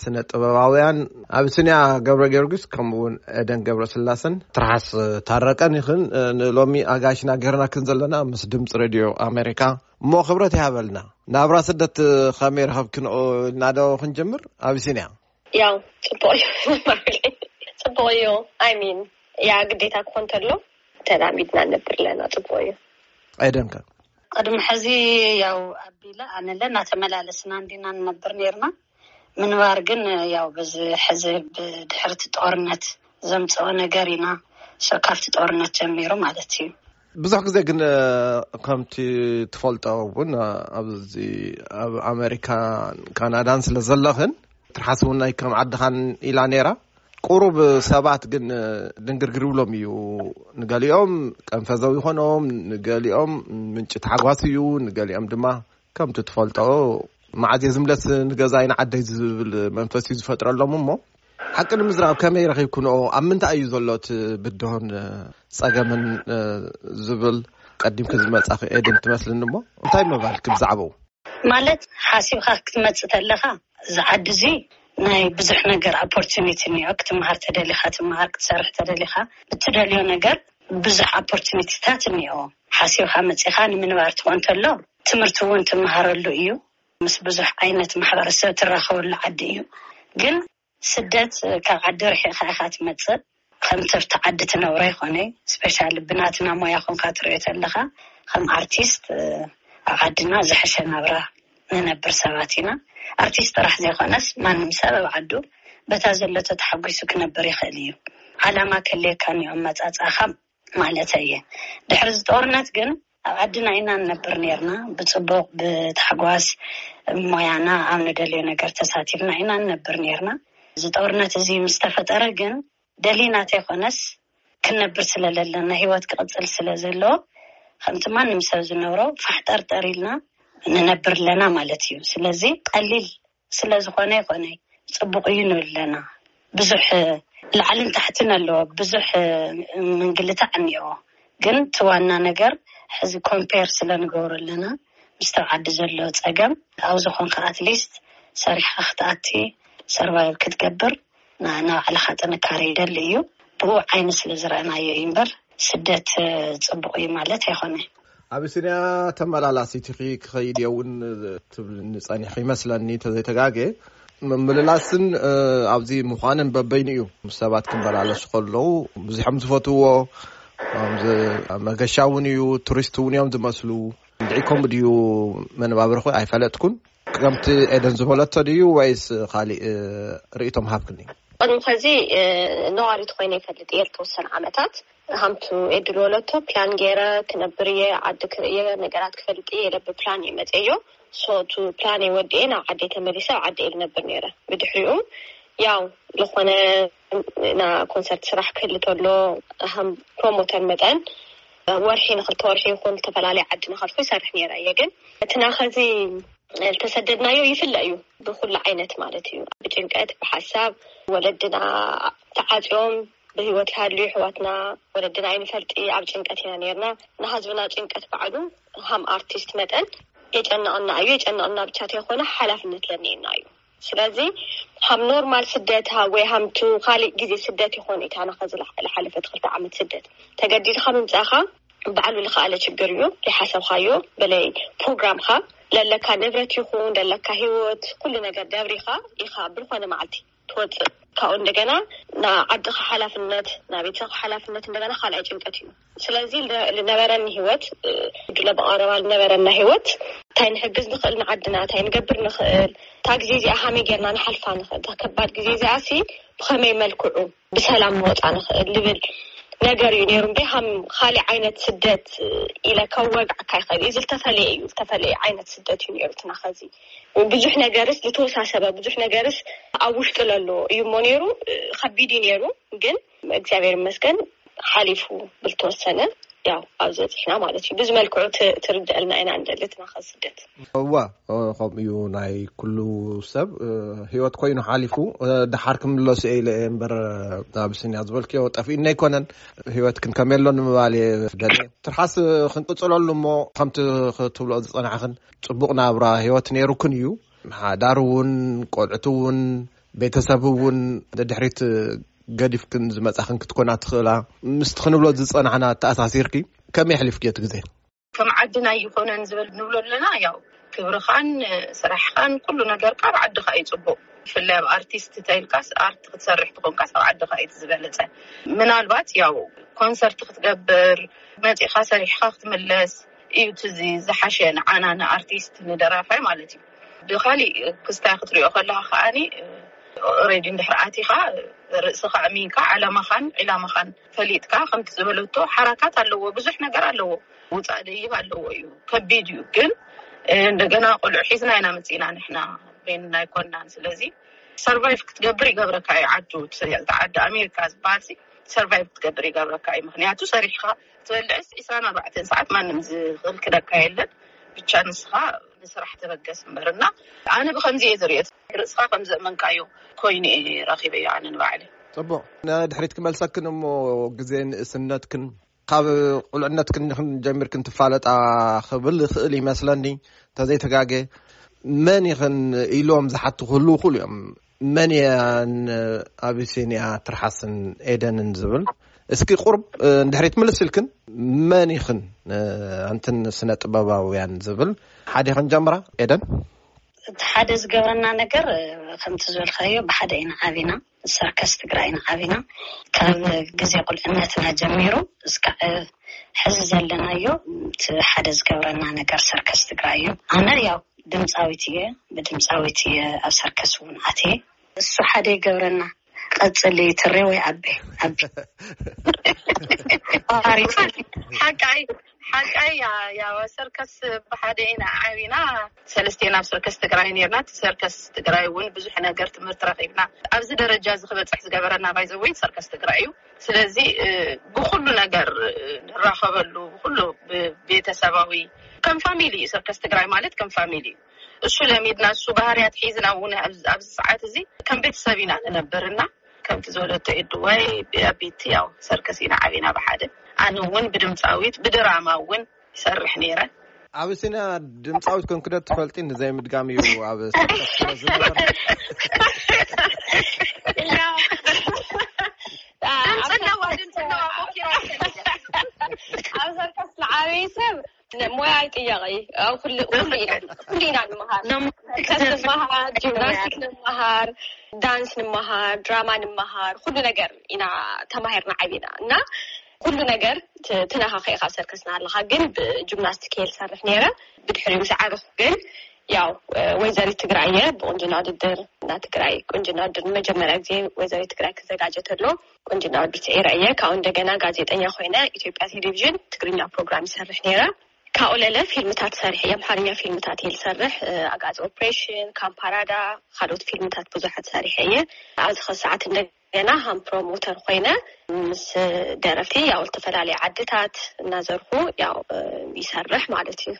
ስነ ጥበባውያን ኣብስንያ ገብረ ጊዮርጊስ፣ ከምኡ እውን ኤደን ገብረ ስላሰን ትርሓስ ታረቀን ይኽን ንሎሚ ኣጋይሽና ገይርናክን ዘለና ምስ ድምፂ ሬድዮ ኣሜሪካ። እሞ ክብረት ይሃበልና። ናብራ ስደት ከመይ ረኸብክንኦ ኢልና ዶ ክንጀምር? ኣብስንያ። ያው ጽቡቅ እዩ። ጽቡቅ እዩ። I mean፣ ያ ግዴታ ክኾን ተሎ ተላሚድና ነብር ኣለና። ጽቡቅ እዩ። ኤደንከ? ቅድሚ ሕዚ ያው ኣቢለ ኣነለ እናተመላለስና እንዲና ንነብር ነርና። ምንባር ግን ያው በዚ ሕዚ ብድሕርቲ ጦርነት ዘምፅኦ ነገር ኢና። ሶ ካብቲ ጦርነት ጀሚሩ ማለት እዩ። ብዙሕ ግዜ ግን ከምቲ ትፈልጦ እውን ኣብዚ ኣብ ኣሜሪካን ካናዳን ስለ ዘለኽን ትርሓስ እውን ናይ ከም ዓድኻን ኢላ ነይራ። ቁሩብ ሰባት ግን ድንግርግር ይብሎም እዩ። ንገሊኦም ቀንፈዘው ይኾኖም፣ ንገሊኦም ምንጪ ታሕጓስ እዩ፣ ንገሊኦም ድማ ከምቲ ትፈልጦ መዓዝ እየ ዝምለስ ንገዛይ ንዓደይ ዝብል መንፈስ እዩ ዝፈጥረሎም። እሞ ሓቂ ንምዝራብ ከመይ ረኺብክንኦ? ኣብ ምንታይ እዩ ዘሎ እቲ ብድሆን ጸገምን ዝብል ቀዲምኪ ዝመጻኺ ኤድን ትመስልኒ። እሞ እንታይ ምባልኪ ብዛዕባኡ? ማለት ሓሲብካ ክትመጽእ ተለካ እዚ ዓዲ እዚ ናይ ብዙሕ ነገር ኦፖርቹኒቲ እኒኦ። ክትመሃር ተደሊካ ትመሃር፣ ክትሰርሕ ተደሊካ ብትደልዮ ነገር ብዙሕ ኦፖርቹኒቲታት እኒኦ። ሓሲብካ መጺኻ ንምንባር ትኾን ተሎ ትምህርቲ እውን ትመሃረሉ እዩ። ምስ ብዙሕ ዓይነት ማሕበረሰብ ትራኸበሉ ዓዲ እዩ። ግን ስደት ካብ ዓዲ ርሒቕካ ኢኻ ትመጽእ። ከምቲ ኣብቲ ዓዲ ትነብሮ ኣይኮነ። ስፔሻሊ ብናትና ሞያ ኮንካ ትሪኦ ተለኻ ከም ኣርቲስት ኣብ ዓድና ዝሐሸ ናብራ ንነብር ሰባት ኢና። ኣርቲስት ጥራሕ ዘይኮነስ ማንም ሰብ ኣብ ዓዱ በታ ዘለቶ ተሓጒሱ ክነብር ይኽእል እዩ። ዓላማ ከልየካ እኒኦ ኣመጻጽኣኻ ማለት እየ። ድሕሪ እዚ ጦርነት ግን ኣብ ዓድና ኢና ንነብር ነርና። ብጽቡቕ ብታሕጓስ ሞያና ኣብ ንደልዮ ነገር ተሳቲፍና ኢና ንነብር ነርና። እዚ ጦርነት እዚ ምስ ተፈጠረ ግን ደሊና ተይኮነስ ክንነብር ስለ ዘለና ህይወት ክቕጽል ስለ ዘለዎ ከምቲ ማንም ሰብ ዝነብሮ ፋሕ ጠርጠር ኢልና ንነብር ኣለና ማለት እዩ። ስለዚ ቀሊል ስለ ዝኾነ ይኾነ ጽቡቕ እዩ ንብል ኣለና። ብዙሕ ላዕልን ታሕትን ኣለዎ፣ ብዙሕ ምንግልታዕ እኒኦ። ግን እቲ ዋና ነገር ሕዚ ኮምፔር ስለ ንገብሮ ኣለና ምስ ተብ ዓዲ ዘሎ ጸገም ኣብ ዝኾንካ ኣትሊስት ሰሪሕካ ክትኣቲ ሰርቫይቭ ክትገብር ንባዕልኻ ጥንካሬ ይደሊ እዩ። ብኡ ዓይኒ ስለ ዝረኣናዮ እዩ እምበር ስደት ጽቡቕ እዩ ማለት ኣይኮነ። ኣቢሲንያ ተመላላሲት ኢኺ ክኸይድ እየ እውን ትብልኒ ጸኒሕኺ ይመስለኒ ተዘይተጋገ። ምምልላስን ኣብዚ ምዃንን በበይኑ እዩ። ምስ ሰባት ክመላለሱ ከለዉ ብዙሖም ዝፈትዎ መገሻ እውን እዩ፣ ቱሪስት እውን እዮም ዝመስሉ። እንድዒ ከምኡ ድዩ መነባብርኹ ኣይፈለጥኩን። ከምቲ ኤደን ዝበለቶ ድዩ ወይስ ካሊእ ርእይቶም ሃብክኒ? ቅድሚ ከዚ ነዋሪት ኮይነ ይፈልጥ እየ። ዝተወሰነ ዓመታት ሃምቱ ኤድል ወለቶ ፕላን ገይረ ክነብር እየ፣ ዓዲ ክርእየ፣ ነገራት ክፈልጥ እየ ኢለ ብፕላን እየ መፅየዮ። ሶቱ ፕላን ወዲኤ ናብ ዓዲ ተመሊሰ ኣብ ዓዲ እየ ዝነብር ነይረ። ብድሕሪኡ ያው ዝኾነ ና ኮንሰርት ስራሕ ክህል ተሎ ሃም ፕሮሞተር መጠን ወርሒ ንክልተ ወርሒ ይኹን ዝተፈላለየ ዓዲ ንኸልኩ ይሰርሕ ነይረ እየ። ግን እቲ ናኸዚ ዝተሰደድናዮ ይፍለ እዩ ብኩሉ ዓይነት ማለት እዩ። ብጭንቀት ብሓሳብ ወለድና ተዓፅዮም ብህይወት ይሃልዩ ኣሕዋትና ወለድና ኣይንፈልጢ ኣብ ጭንቀት ኢና ነርና። ንህዝብና ጭንቀት ባዕሉ ሃም ኣርቲስት መጠን የጨንቐና እዩ። የጨንቐና ብቻ ተይኮነ ሓላፍነት ለኒኤና እዩ። ስለዚ ሃም ኖርማል ስደት ወይ ሃምቱ ካሊእ ግዜ ስደት ይኾን ኢታና ከዚ ዝሓለፈት ክልተ ዓመት ስደት ተገዲድካ ምምፃእካ ባዕሉ ዝኸኣለ ችግር እዩ። ይሓሰብካዮ በለይ ፕሮግራምካ ለለካ ንብረት ይኹን ለለካ ህይወት ኩሉ ነገር ደብሪኻ ኢኻ ብዝኾነ መዓልቲ ትወፅእ። ካብኡ እንደገና ንዓድኻ ሓላፍነት ናቤተሰብ ሓላፍነት እንደገና ካልኣይ ጭንቀት እዩ። ስለዚ ዝነበረኒ ህይወት ድለ ብቐረባ ዝነበረና ህይወት እንታይ ንሕግዝ ንኽእል ንዓድና እንታይ ንገብር ንኽእል እታ ግዜ እዚኣ ሃመይ ጌርና ንሓልፋ ንኽእል እታ ከባድ ግዜ እዚኣ ሲ ብኸመይ መልክዑ ብሰላም ንወፃ ንኽእል ዝብል ነገር እዩ ነይሩ። እምበይ ሃም ካሊእ ዓይነት ስደት ኢለ ከወግዓካ ይኽእል እዩ። እዚ ዝተፈለየ እዩ። ዝተፈለየ ዓይነት ስደት እዩ ነይሩ። እቲ ናኸዚ ብዙሕ ነገርስ ዝተወሳሰበ ብዙሕ ነገርስ ኣብ ውሽጢ ለሎ እዩ እሞ ነይሩ። ከቢድ እዩ ነይሩ ግን እግዚኣብሔር ይመስገን ሓሊፉ ብልተወሰነ ያው ኣብ ዝበፅሕና ማለት እዩ። ብዙ መልክዑ ትርድአልና ኢና እንደልትና ከስደት። እዋ ከምኡ እዩ ናይ ኩሉ ሰብ ህይወት ኮይኑ ሓሊፉ። ደሓር ክምለሱ እየ ኢለ እየ እምበር ኣብስንያ ዝበልክዮ ጠፊእኒ ኣይኮነን። ህይወት ክንከመየሎ ንምባል እየ ደለ ትርሓስ ክንቅፅለሉ እሞ ከምቲ ክትብሎ ዝፀናሕኽን ፅቡቕ ናብራ ህይወት ነይሩክን እዩ። ሓዳር እውን ቆልዕቲ እውን ቤተሰብ እውን ድሕሪት ገዲፍክን ዝመጻኽን ክትኮና ትኽእላ። ምስቲ ክንብሎ ዝጸናሕና ተኣሳሲርኪ ከመይ ኣሕሊፍክዮ እቲ ግዜ? ከም ዓድና ኣይኾነን ዝብል ንብሎ ኣለና። ያው ክብርኻን ስራሕኻን ኩሉ ነገርካ ኣብ ዓድኻ እዩ ጽቡቕ። ብፍላይ ኣብ ኣርቲስት ተይልካስ፣ ኣርት ክትሰርሕ ትኾንካስ ኣብ ዓድኻ እዩ ዝበለጸ። ምናልባት ያው ኮንሰርት ክትገብር መጺኻ ሰሪሕኻ ክትምለስ እዩ እቲ ዚ-፣ ዝሓሸ ንዓና ንኣርቲስት ንደራፋይ ማለት እዩ። ብኻሊእ ክስታይ ክትሪኦ ከለኻ ከዓኒ ኦሬዲ እንድሕር ኣቲኻ ርእስኻ ኣሚንካ ዓላማኻን ዒላማኻን ፈሊጥካ ከምቲ ዝበለቶ ሓራካት ኣለዎ፣ ብዙሕ ነገር ኣለዎ፣ ውፃእ ደይብ ኣለዎ እዩ፣ ከቢድ እዩ። ግን እንደገና ቆልዑ ሒዝና ኢና መፂና ንሕና፣ በይንና ኣይኮንናን። ስለዚ ሰርቫይቭ ክትገብር ይገብረካ እዩ። ዓዱ እቲ ዓዲ ኣሜሪካ ዝበሃል ሲ ሰርቫይቭ ክትገብር ይገብረካ እዩ። ምክንያቱ ሰሪሕካ ትበልዕስ ዕስራን ኣርባዕተን ሰዓት ማንም ዝኽልክለካ የለን። ብቻ ንስኻ ንስራሕ ተበገስ እምበር። እና ኣነ ብከምዚ እየ ዝርእዮ። ርእስኻ ከም ዘእመንካዮ ኮይኑ እየ ረኺበዮ ኣነ ንባዕለይ። ጽቡቕ። ንድሕሪት ክመልሰክን እሞ፣ ግዜ ንእስነትክን ካብ ቁልዕነትክን ኢኽን ጀሚርክን ትፋለጣ ክብል ይኽእል ይመስለኒ፣ እንተዘይተጋገ። መን ኢኽን ኢሎም ዝሓቱ ክህልዉ ይኽእሉ እዮም። መን እየን ኣቢሲንያ ትርሓስን ኤደንን ዝብል? እስኪ ቁርብ፣ እ፣ እንድሕሪት ምልስ ኢልክን፣ መን ኢኽን፣ እ፣ ኣንትን ስነ ጥበባውያን ዝብል ሓደ ኢኽን ጀምራ፣ ኤደን? እቲ ሓደ ዝገብረና ነገር፣ እ፣ ከምቲ ዝበልካዮ፣ ብሓደ ኢና ዓቢና፣ ሰርከስ ትግራይ ኢና ዓቢና። ካብ ግዜ ቁልዕነትና ጀሚሩ እስካዕ ሕዚ ዘለናዮ፣ እቲ ሓደ ዝገብረና ነገር ሰርከስ ትግራይ እዩ። ኣነ ያው ድምፃዊት እየ፣ ብድምፃዊት እየ ኣብ ሰርከስ እውን ኣትየ። እሱ ሓደ ይገብረና። ቀፅሊ ትሬ ወይ ኣቤ፣ ኣቤ። ሓቃይ፣ ሓቃይ፣ ያ፣ ያ፣ ሰርከስ ብሓደ ኢና ዓቢና። ሰለስቴና ኣብ ሰርከስ ትግራይ ነርና። እቲ ሰርከስ ትግራይ እውን ብዙሕ ነገር ትምህርቲ ረኺብና። ኣብዚ ደረጃ እዚ ክበፅሕ ዝገበረና ባይዘወይ ሰርከስ ትግራይ እዩ። ስለዚ፣ እ፣ ብኹሉ ነገር፣ እ፣ ንራኸበሉ፣ ብኹሉ ብ-፣ ቤተሰባዊ፣ ከም ፋሚሊ እዩ። ሰርከስ ትግራይ ማለት ከም ፋሚሊ እዩ። እሱ ለሚድና፣ እሱ ባህርያት ሒዝና እውን ኣብዚ፣ ኣብዚ ሰዓት እዚ ከም ቤተሰብ ኢና ንነብር። እና ከምቲ ዝበለቶ ኤዱ ወይ ቤቲ፣ ያው ሰርከስ ኢና ዓቢና ብሓደ። ኣነ እውን ብድምፃዊት፣ ብድራማ እውን ይሰርሕ ነይረ። ኣብ ሲና ድምፃዊት ኮንክደት ትፈልጢ ንዘይ ምድጋም እዩ ኣብ ሰርከስ ስለ ዝነበረ። ድምፂ ኣለዋ፣ ድምፂ ኣለዋ፣ ሞኪራ። ኣብ ሰርከስ ንዓበይ ሰብ ሞያ ኣይጥየቕ እዩ። ኣብ ኩሉ፣ ኩሉ ኢና፣ ኩሉ ኢና ንምሃር። ሎም-፣ ሰርከስ ንምሃር፣ ጂምናስቲክ ንምሃር፣ ዳንስ ንምሃር፣ ድራማ ንምሃር፣ ኩሉ ነገር ኢና ተማሂርና ዓቢና። እና ኩሉ ነገር ት-፣ ትነኻኸ ኢኻ ኣብ ሰርከስ እናሃለኻ። ግን ብጂምናስቲክ እየ ዝሰርሕ ነይረ። ብድሕሪኡ ምስ ዓበኹ ግን ያው፣ እ፣ ወይዘሪት ትግራይ እየ። ብቁንጅና ውድድር እና ትግራይ ቁንጅና ውድድር ንመጀመርያ ግዜ ወይዘሪት ትግራይ ክዘጋጀ ተሎ ቁንጅና ውድድር ስዒረ እየ። ካብኡ እንደገና ጋዜጠኛ ኮይነ ኢትዮጵያ ቴሌቪዥን ትግርኛ ፕሮግራም ይሰርሕ ነይረ። ካብኡ ለለ ፊልምታት ሰሪሐ እየ። ኣምሓርኛ ፊልምታት እየ ዝሰርሕ። እ፣ ኣጋዚ ኦፕሬሽን፣ ካምፓራዳ፣ ካልኦት ፊልምታት ብዙሓት ሰሪሐ እየ። ኣብዚ ኸ ሰዓት እንደገና ሃም ፕሮሞተር ኮይነ ምስ ደረፍቲ ያው ዝተፈላለዩ ዓድታት እናዘርኩ ያው፣ እ፣ ይሰርሕ ማለት እዩ።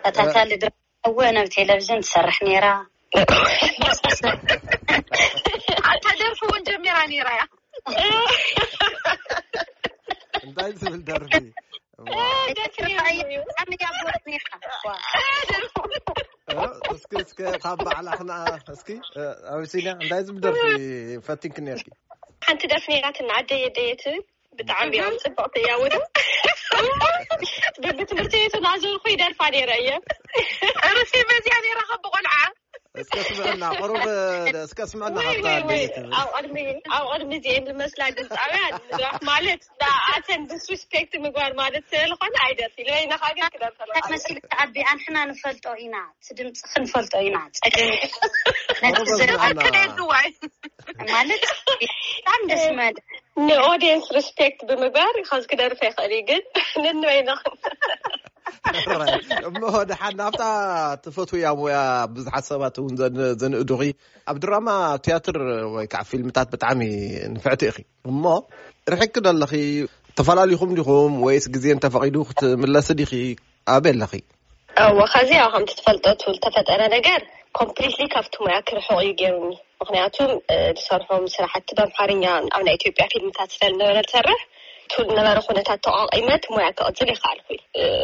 ተታታሊ ድራማ እውን ኣብ ቴሌቪዥን ትሰርሕ ነይራ። ኣታ ደርፊ እውን ጀሚራ ነይራ እያ። እንታይ ዝብል ደርፊ? ዋ። ደርፊ ነይራ እዩ። ብጣዕሚ እያ ጎበዝ ነይራ። ዋ። እ፣ እስኪ፣ እስኪ ካብ ባዕላ ክና-፣ እስኪ፣ እ፣ ኣቢሲንያ፣ እንታይ ዝብል ደርፊ ፈቲንክ ነርኪ? ሓንቲ ደርፊ ነይራትና፣ ኣደየ ደየት፣ ብጣዕሚ እዮም ጽብቕቲ እያ። ወደ በብትምህርቲ ቤቱ እናዞርኩ ይደርፋ ነይረ እየ። ርሲ በዚያ ነይራ ካብ ቆልዓ። እስከ ስምዕና፣ ቁሩብ፣ እስከ ስምዕና ወይ፣ ካብታ ወይ፣ ወይ። ደየት። ኣብ ቅድሚ፣ ኣብ ቅድሚ እዚኤን ዝመስላ ድምፃውያን ምድራፍ ማለት ንኣተን ዲስሪስፔክት ምግባር ማለት ስለዝኾነ ኣይደርፊ። ንበይንኻ ግን ክደርፈለካ። መሲልካ ኣቢ፣ ኣንሕና ንፈልጦ ኢና፣ እቲ ድምፂ ክንፈልጦ ኢና። ጸገም ነቲ ቁሩብ ዘ-፣ ስምዕና። ኣከለ ድዋይ። ማለት ብጣዕሚ ደስ ማለት። ንኦዲየንስ ሪስፔክት ብምግባር ከዚ ክደርፍ ይኽእል እዩ፣ ግን ንንበይንኻ። እሞ ደሓን ናብታ ትፈትውያ ሞያ ብዙሓት ሰባት እውን ዘን-፣ ዘንእዱኺ። ኣብ ድራማ፣ ኣብ ትያትር ወይ ከዓ ፊልምታት ብጣዕሚ ንፍዕቲ ኢኺ። እሞ ርሒቅኪ ዶ ኣለኺ? ተፈላሊኹም ዲኹም ወይስ ግዜ እንተፈቒዱ ክትምለሲ ዲኺ? ኣበይ ኣለኺ? እወ፣ ከዚ ያው ከምቲ ትፈልጦ እቲ ዝተፈጠረ ነገር ኮምፕሊትሊ ካብቲ ሞያ ክርሕቕ እዩ ገይሩኒ። ምክንያቱ ዝሰርሖም ስራሕቲ ብኣምሓርኛ ኣብ ናይ ኢትዮጵያ ፊልምታት ስለዝነበረ ዝሰርሕ፣ እቲ ዝነበረ ኩነታት ተቋቒመ እቲ ሞያ ክቕፅል ይከኣልኩ።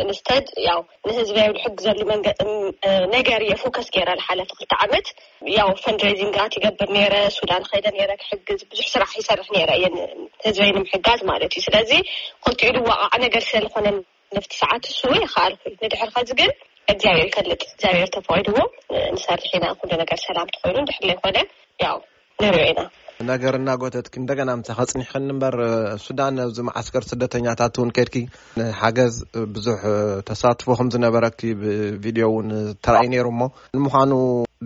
ንስተድ ያው ንህዝበይ ዝሕግዘሉ መንገ ነገር እየ ፎከስ ገይረ ዝሓለፈ ክልተ ዓመት። ያው ፈንድሬዚንጋት ይገብር ነይረ፣ ሱዳን ኸይደ ነይረ ክሕግዝ፣ ብዙሕ ስራሕ ይሰርሕ ነይረ እየ ንህዝበይ ንምሕጋዝ ማለት እዩ። ስለዚ ክልቲኡ ዝዋቃዕ ነገር ስለዝኾነ ነፍቲ ሰዓት እሱ ይኸኣልኩ። ንድሕር ከዚ ግን እግዚኣብሔር ይፈልጥ፣ እግዚኣብሔር ተፈቒድዎ ንሰርሕ ኢና። ኩሉ ነገር ሰላም ተኾይኑ፣ ድሕር ዘይኮነ ያው ንሪኦ ኢና። ነገር እናጎተትኪ እንደገና ምሳኺ ኣጽኒሕክኒ እምበር፣ ሱዳን ኣብዚ መዓስከር ስደተኛታት እውን ከድኪ ንሓገዝ ብዙሕ ተሳትፎ ከም ዝነበረኪ ብቪድዮ እውን ተራእዩ ነይሩ። እሞ ንምዃኑ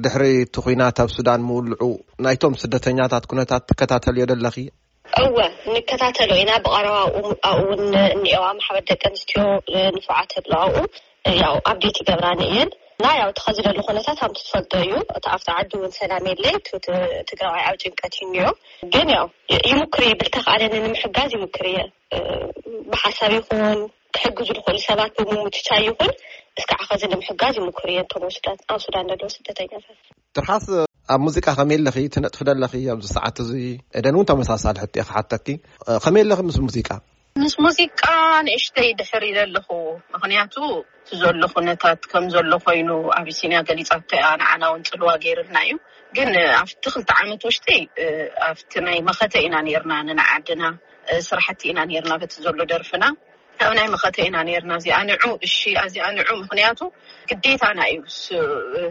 ድሕሪ እቲ ኲናት ኣብ ሱዳን ምውልዑ ናይቶም ስደተኛታት ኩነታት ትከታተልዮ ደለኺ? እወ፣ ንከታተሎ ኢና። ብቐረባ ኣብኡ እውን እኒኤዋ ማሕበር ደቂ ኣንስትዮ ንፉዓት ኣለዋ ኣብኡ። ያው ኣፕዴት ይገብራኒ እየን። እና ያው እቲ ኸዚ ዘሎ ኩነታት ከምቲ ትፈልጦ እዩ። እቲ ኣብቲ ዓዲ እውን ሰላም የለ። እቲ ትግራዋይ ኣብ ጭንቀት እዩ እኒኦ። ግን ያው ይሙክር እየ፣ ብልተኽኣለኒ ንምሕጋዝ ይሙክር እየ። ብሓሳብ ይኹን ክሕግዙ ዝኽእሉ ሰባት ብምምችቻይ ይኹን እስካዕ ኸዚ ንምሕጋዝ ይሙክር እየ። እቶም ኣብ ሱዳን ኣብ ሱዳን ዘለዉ ስደተኛታት። ትርሓስ፣ ኣብ ሙዚቃ ከመይ ኣለኺ? ትነጥፊ ደለኺ ኣብዚ ሰዓት እዚ? ኤደን እውን ተመሳሳሊ ሕቶ እየ ክሓተኪ። ከመይ ኣለኺ ምስ ሙዚቃ? ምስ ሙዚቃ ንእሽተይ ድሕር ኢለ ኣለኹ። ምኽንያቱ እቲ ዘሎ ኩነታት ከም ዘሎ ኮይኑ ኣቢሲንያ ገሊጻቶ እያ፣ ንዓና እውን ጽልዋ ገይርልና እዩ። ግን ኣብቲ ክልተ ዓመት ውሽጢ ኣብቲ ናይ መኸተ ኢና ነይርና፣ ንንዓድና ስራሕቲ ኢና ነይርና በቲ ዘሎ ደርፍና። ካብ ናይ መኸተ ኢና ነይርና። እዚኣ ንዑ፣ እሺ፣ እዚኣ ንዑ። ምኽንያቱ ግዴታና እዩ። ስ-፣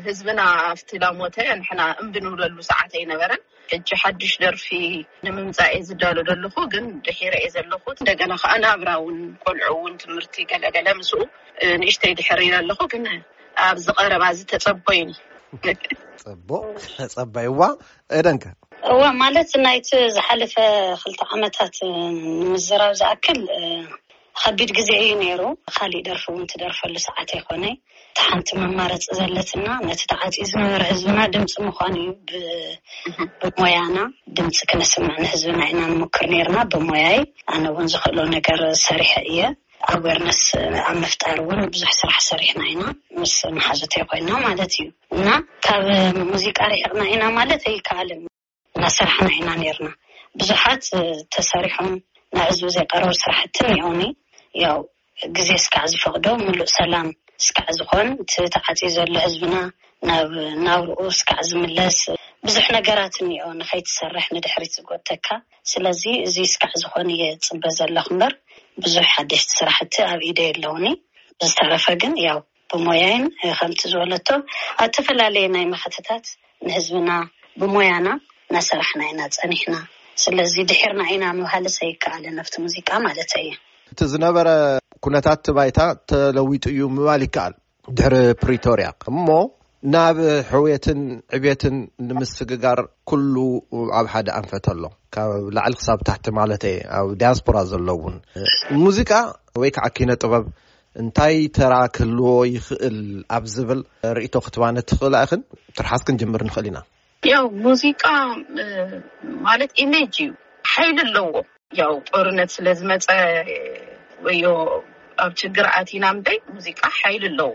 ህዝብና ኣብቲ ላሞተ ንሕና እምቢ ንብለሉ ሰዓት ኣይነበረን። ሕጂ ሓድሽ ደርፊ ንምምጻእ እየ ዝዳሎ ዘለኹ፣ ግን ድሒረ እየ ዘለኹ። እንደገና ከኣ ናብራ እውን፣ ቆልዑ እውን ትምህርቲ ገለገለ ምስኡ፣ እ፣ ንእሽተይ ድሕር ኢለ ኣለኹ፣ ግን ኣብዚ ቀረባ እዚ ተጸበዩኒ። ጽቡቕ፣ ተጸበይዋ። ኤደንከ? እወ፣ ማለት ናይቲ ዝሓለፈ ክልተ ዓመታት ንምዝራብ ዝኣክል፣ እ፣ ከቢድ ግዜ እዩ ነይሩ። ካሊእ ደርፊ እውን ትደርፈሉ ሰዓት ኣይኮነ። እቲ ሓንቲ መማረፂ ዘለትና ነቲ ተዓፅዩ ዝነበረ ህዝብና ድምፂ ምዃን እዩ። ብ-፣ ብሞያና ድምፂ ክነስምዕ ንህዝብና ኢና ንሞክር ነይርና። ብሞያይ ኣነ እውን ዝኽእሎ ነገር ሰሪሐ እየ። ኣዌርነስ ኣብ ምፍጣር እውን ብዙሕ ስራሕ ሰሪሕና ኢና፣ ምስ መሓዙተይ ኮይና ማለት እዩ። እና ካብ ሙዚቃ ርሒቕና ኢና ማለት ኣይከኣልን። እናሰራሕና ኢና ነርና። ብዙሓት ተሰሪሖም ናብ ህዝቢ ዘይቀረቡ ስራሕቲ እኒኦኒ። ያው ግዜ እስካዕ ዝፈቕዶ፣ ምሉእ ሰላም እስካዕ ዝኾን፣ እቲ ተዓፅዩ ዘሎ ህዝብና ናብ ናብርኡ እስካዕ ዝምለስ ብዙሕ ነገራት እኒኦ ንኸይትሰርሕ ንድሕሪት ዝጎተካ። ስለዚ እዚ እስካዕ ዝኾን እየ ዝፅበ ዘለኹ እምበር ብዙሕ ሓደሽቲ ስራሕቲ ኣብ ኢደይ ኣለውኒ። ብዝተረፈ ግን ያው ብሞያይን ከምቲ ዝበለቶ ኣብ ዝተፈላለየ ናይ መኸተታት ንህዝብና ብሞያና እናሰራሕና ኢና ፀኒሕና። ስለዚ ድሒርና ኢና ምባልስ ኣይከኣልን ኣብቲ ሙዚቃ ማለተይ እየ። እቲ ዝነበረ ኩነታት እቲ ባይታ ተለዊጡ እዩ ምባል ይከኣል። ድሕሪ ፕሪቶርያ እሞ ናብ ሕውየትን ዕብየትን ንምስግጋር ኩሉ ኣብ ሓደ ኣንፈት ኣሎ፣ ካብ ላዕሊ ክሳብ ታሕቲ ማለት እየ። ኣብ ዲያስፖራ ዘለውን ሙዚቃ ወይ ከዓ ኪነ ጥበብ እንታይ ተራ ክህልዎ ይኽእል ኣብ ዝብል ርእይቶ ክትባነ ትኽእላ ኢኽን? ትርሓስ ክንጅምር ንኽእል ኢና። ያው ሙዚቃ፣ እ፣ ማለት ኢሜጅ እዩ፣ ሓይሊ ኣለዎ። ያው ጦርነት ስለ ዝመፀ ወዮ ኣብ ችግር ኣቲና እምበይ፣ ሙዚቃ ሓይሊ ኣለዎ።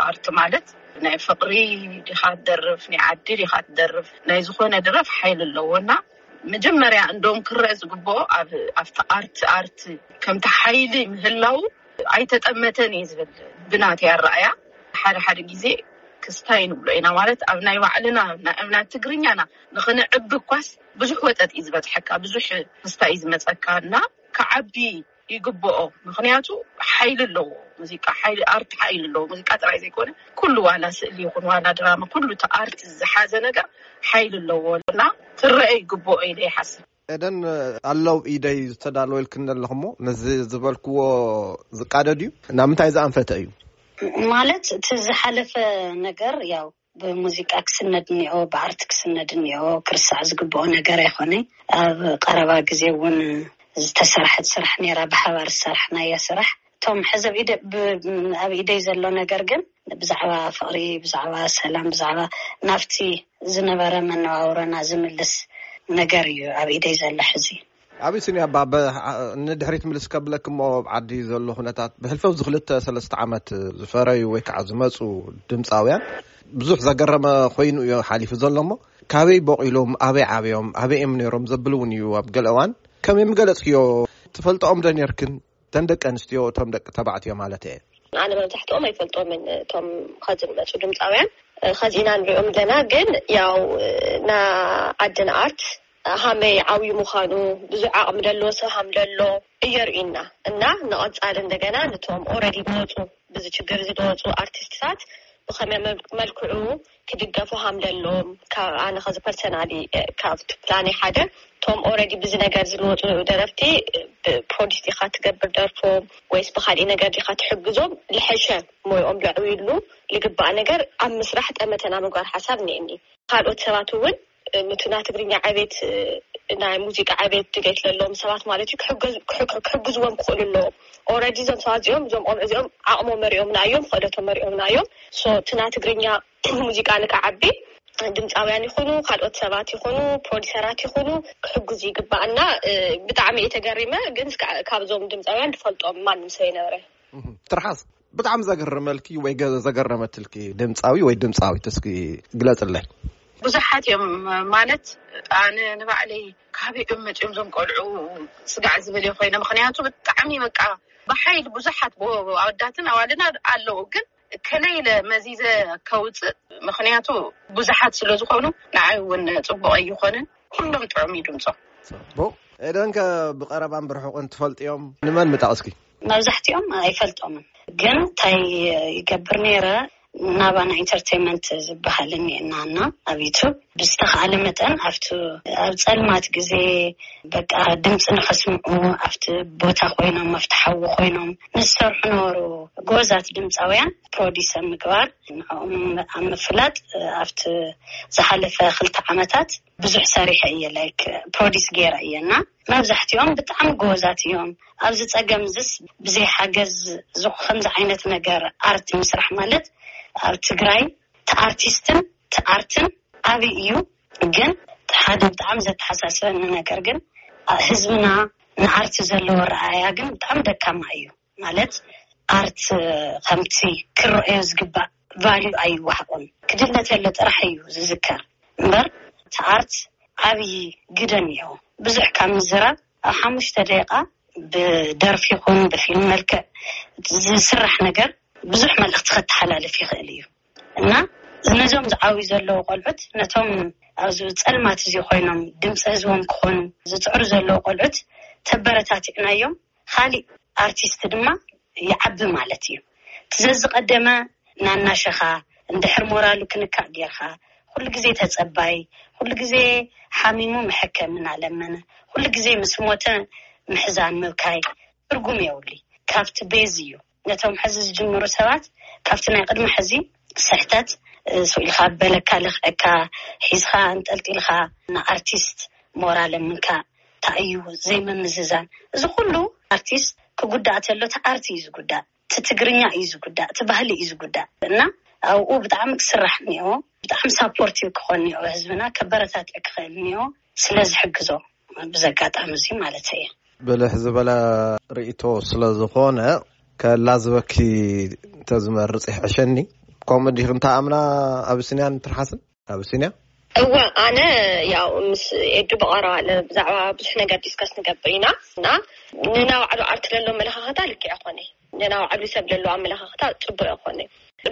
ኣርት ማለት ናይ ፍቕሪ ዲኻ ትደርፍ፣ ናይ ዓዲ ዲኻ ትደርፍ፣ ናይ ዝኾነ ድረፍ ሓይሊ ኣለዎ። እና መጀመርያ እንደውም ክረአ ዝግብኦ ኣብ፣ ኣብቲ ኣርት፣ ኣርት ከምቲ ሓይሊ ምህላው ኣይተጠመተን እዩ ዝብል ብናተይ ኣረኣያ። ሓደ ሓደ ግዜ ክስታይ ንብሎ ኢና፣ ማለት ኣብ ናይ ባዕልና፣ ናይ፣ ኣብ ናይ ትግርኛና ንኽንዕቢ እኳስ ብዙሕ ወጠጥ እዩ ዝበፅሐካ፣ ብዙሕ ክስታይ እዩ ዝመፀካ። እና ክዓቢ ይግብኦ። ምኽንያቱ ሓይሊ ኣለዎ። ሙዚቃ ሓይሊ፣ ኣርት ሓይሊ ኣለዎ። ሙዚቃ ጥራይ ዘይኮነ ኩሉ፣ ዋላ ስእሊ ይኹን ዋላ ድራማ፣ ኩሉ እቲ ኣርት ዝሓዘ ነገር ሓይሊ ኣለዎ። እና ክረአ ይግብኦ ኢለ ይሓስብ። ኤደን፣ ኣለዉ ኢደይ ዝተዳለወ ኢልክን ዘለኹሞ፣ ነዚ ዝበልክዎ ዝቃደድ እዩ? ናብ ምንታይ ዝኣንፈተ እዩ? ማለት እቲ ዝሓለፈ ነገር ያው ብሙዚቃ ክስነድ እኒኦ፣ ብኣርት ክስነድ እኒኦ፣ ክርሳዕ ዝግብኦ ነገር ኣይኮነ። ኣብ ቀረባ ግዜ እውን ዝተሰርሐት ስራሕ ነይራ፣ ብሓባር ዝሰራሕናያ ስራሕ። እቶም ሕዚ ኣብ ኢደ-፣ ብ-፣ ኣብ ኢደይ ዘሎ ነገር ግን ብዛዕባ ፍቕሪ፣ ብዛዕባ ሰላም፣ ብዛዕባ ናብቲ ዝነበረ መነባብሮና ዝምልስ ነገር እዩ ኣብ ኢደይ ዘሎ ሕዚ። ኣቢሲንያ፣ ባ-፣ በ-፣ ንድሕሪት ምልስ ከብለኪ እሞ፣ ኣብ ዓዲ ዘሎ ኩነታት ብሕልፊ ኣብዚ ክልተ ሰለስተ ዓመት ዝፈረዩ ወይ ከዓ ዝመፁ ድምፃውያን ብዙሕ ዘገረመ ኮይኑ እዩ ሓሊፉ ዘሎ። እሞ ካበይ ቦቒሎም፣ ኣበይ ዓብዮም፣ ኣበይ እዮም ነይሮም ዘብል እውን እዩ። ኣብ ገለ እዋን ከም የምገለጽክዮ፣ ትፈልጥኦም ዶ ነርክን? እተን ደቂ ኣንስትዮ፣ እቶም ደቂ ተባዕትዮ ማለት እየ። ኣነ መብዛሕትኦም ኣይፈልጦምን፣ እቶም ኸዚ ዝመፁ ድምፃውያን። ኸዚ ኢና ንሪኦም ኣለና፣ ግን ያው ና ዓድን ኣርት ሃመይ ዓብዩ ምዃኑ፣ ብዙሕ ዓቕሚ ደለዎ ሰብ ሃም ደሎ እየርእዩና። እና ንቐፃሊ እንደገና ንቶም ኦረዲ ዝወፁ፣ ብዚ ችግር እዚ ዝወፁ ኣርቲስትታት ብኸመይ መል- መልክዑ ክድገፉ ሃም ደሎም፣ ካብ ኣነ ኸዚ ፐርሰናሊ ካብቲ ፕላነይ ሓደ፣ ቶም ኦረዲ ብዚ ነገር ዝልወጡ ደረፍቲ፣ ፕሮዲስ ዲኻ ትገብር ደርፎም ወይስ ብካሊእ ነገር ዲኻ ትሕግዞም ልሐሸ ሞይኦም ለዕብዩሉ ልግባእ ነገር ኣብ ምስራሕ ጠመተና ምግባር ሓሳብ እኒአኒ። ካልኦት ሰባት እውን፣ እ፣ ንቱና ትግርኛ ዕቤት፣ እ፣ ናይ ሙዚቃ ዕቤት ድሌት ለለዎም ሰባት ማለት እዩ ክሕገዝ- ክሕግ- ክሕግዝዎም ክኽእሉ ኣለዎም። ኦረዲ እዞም ሰባት እዚኦም፣ እዞም ቆልዑ እዚኦም ዓቕሞም መሪኦምና እዮም፣ ክእለቶም መሪኦምና እዮም። ሶ ቱና ትግርኛ ሙዚቃ ንክዓቢ ድምፃውያን ይኹኑ ካልኦት ሰባት ይኹኑ ፕሮዲሰራት ይኹኑ ክሕግዙ ይግባእና። እ፣ ብጣዕሚ እየ ተገሪመ፣ ግን እስከ ካብዞም ድምፃውያን ዝፈልጦም ማንም ሰብ የነበረ። ትርሓስ፣ ብጣዕሚ ዘገርመልኪ ወይ ገ- ዘገረመትልኪ ድምፃዊ ወይ ድምፃዊት እስኪ ግለፅለይ። ብዙሓት እዮም። ማለት ኣነ ንባዕለይ ካበይ እዮም መፂኦም እዞም ቆልዑ ስጋዕ ዝብል እየ ኮይነ። ምክንያቱ ብጣዕሚ በቃ ብሓይሊ ብዙሓት ኣወዳትን ኣዋልድን ኣለዉ፣ ግን ከመይ ኢለ መዚዘ ከውፅእ? ምክንያቱ ብዙሓት ስለ ዝኾኑ ንዓይ እውን ፅቡቕ ኣይኾንን። ኩሎም ጥዑም እዩ ድምፆም። ፅቡቕ። ኤደንከ ብቐረባን ብርሑቕን ትፈልጥዮም? ንመን ምጠቕስኪ? መብዛሕትኦም ኣይፈልጦምን፣ ግን እንታይ ይገብር ነይረ፣ ናባና ኢንተርቴንመንት ዝበሃል እኒኤና እና ኣብ ዩቱብ ብዝተኻእለ መጠን ኣብቲ ኣብ ፀልማት ግዜ በቃ ድምፂ ንኸስምዑ ኣብቲ ቦታ ኮይኖም ኣብቲ ሓዊ ኮይኖም ንዝሰርሑ ነበሩ ጎበዛት ድምፃውያን ፕሮዲስ ኣብ ምግባር ንዕኦም ኣብ ምፍላጥ ኣብቲ ዝሓለፈ ክልተ ዓመታት ብዙሕ ሰሪሐ እየ ላይክ ፕሮዲስ ገይረ እየ እና መብዛሕትኦም ብጣዕሚ ጎበዛት እዮም። ኣብዚ ፀገም እዚስ ብዘይ ሓገዝ ከምዚ ዓይነት ነገር ኣርት ምስራሕ ማለት ኣብ ትግራይ ተኣርቲስትን ተኣርትን ዓብይ እዩ። ግን ሓደ ብጣዕሚ ዘተሓሳስበኒ ነገር ግን ህዝብና ንኣርት ዘለዎ ረኣያ ግን ብጣዕሚ ደካማ እዩ። ማለት ኣርት ከምቲ ክረአዮ ዝግባእ ቫልዩ ኣይወሃቦን። ክድለ ተሎ ጥራሕ እዩ ዝዝከር እምበር እቲ ኣርት ዓብዪ ግደ እኒኦ። ብዙሕ ካብ ምዝራብ ኣብ ሓሙሽተ ደቂቃ ብደርፊ ይኹን ብፊልም መልክዕ ዝስራሕ ነገር ብዙሕ መልእኽቲ ከተሓላልፍ ይኽእል እዩ እና ነዞም ዝዓብዩ ዘለዉ ቆልዑት ነቶም ኣብዚ ፀልማት እዚ ኮይኖም ድምፂ ህዝቦም ክኾኑ ዝፅዕሩ ዘለዉ ቆልዑት ተበረታቲዕናዮም ካሊእ ኣርቲስት ድማ ይዓቢ ማለት እዩ። እቲ ዘዝቐደመ ናናሸኻ እንድሕር ሞራሉ ክንካእ ጌርካ ኩሉ ግዜ ተጸባይ፣ ኩሉ ግዜ ሓሚሙ መሐከሚ እናለመነ፣ ኩሉ ግዜ ምስ ሞተ ምሕዛን ምብካይ ትርጉም የብሉይ። ካብቲ ቤዝ እዩ። ነቶም ሕዚ ዝጅምሩ ሰባት ካብቲ ናይ ቅድሚ ሕዚ ስሕተት ስኢልካ በለካ ለኽዐካ ሒዝካ ኣንጠልጢልካ ንኣርቲስት ሞራል ምንካእ እንታይ እዩ ዘይምምዝዛን እዚ ኩሉ ኣርቲስት ክጉዳእ ተሎ እቲ ኣርት እዩ ዝጉዳእ እቲ ትግርኛ እዩ ዝጉዳእ እቲ ባህሊ እዩ ዝጉዳእ እና ኣብኡ ብጣዕሚ ክስራሕ እኒኦ ብጣዕሚ ሳፖርቲቭ ክኾን እኒኦ ህዝብና ከበረታትዕ ክኽእል እኒኦ ስለ ዝሕግዞ ብዘጋጣሚ እዚ ማለት እየ ብልሕ ዝበለ ርእቶ ስለ ዝኾነ ከላዝበኪ ተዝመርፅ ይሕሸኒ ከምኡ ዲኺ እንተ ኣምና ኣብስንያን ትርሓስን ኣብሲንያ? እወ፣ ኣነ ያው ምስ ኤዱ ብቐረባ ብዛዕባ ብዙሕ ነገር ዲስከስ ንገብር ኢና እና ንናባዕሉ ኣርት ለሎ ኣመለኻኽታ ልክዕ ኣይኮነ፣ ንናባዕሉ ሰብ ለሎ ኣመለኻኽታ ፅቡቅ ኣይኮነ።